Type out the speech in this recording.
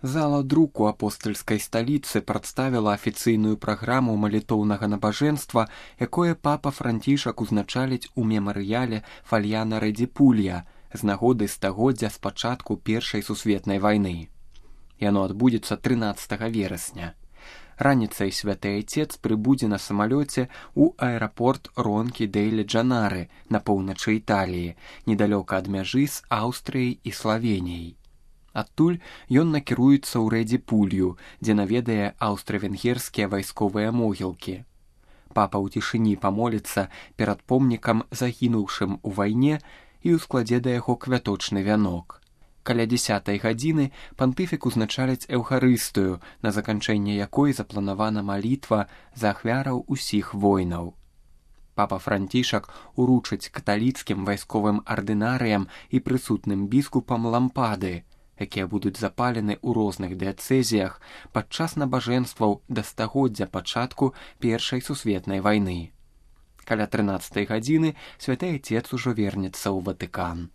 Зала друку апостальскай сталіцы прадставіла афіцыйную праграму малітоўнага набажэнства, якое папа Францішак узначаліць у мемарыяле Фальяна Рэдзі Пулья з нагоды стагоддзя з пачатку Першай сусветнай вайны. Яно адбудзецца 13 верасня. Раніцай святы айцец прыбудзе на самалёце ў аэрапорт Ронкі-дэль-Джанары на поўначы Італіі, недалёка ад мяжы з Аўстрыяй і Славеніяй. Адтуль ён накіруецца ў Рэдзі Пулью, дзе наведае аўстра-венгерскія вайсковыя могілкі. Папа ў цішыні памоліцца перад помнікам загінуўшым у вайне і ўскладзе да яго квяточны вянок. Каля 10 гадзіны пантыфік узначаліць эўхарыстыю, на заканчэнне якой запланавана малітва за ахвяраў усіх войнаў. Папа Францішак уручыць каталіцкім вайсковым ардынарыям і прысутным біскупам лампады, якія будуць запалены ў розных дыяцэзіях падчас набажэнстваў да стагоддзя пачатку Першай сусветнай вайны. Каля 13 гадзіны святы айцец ужо вернецца ў Ватыкан.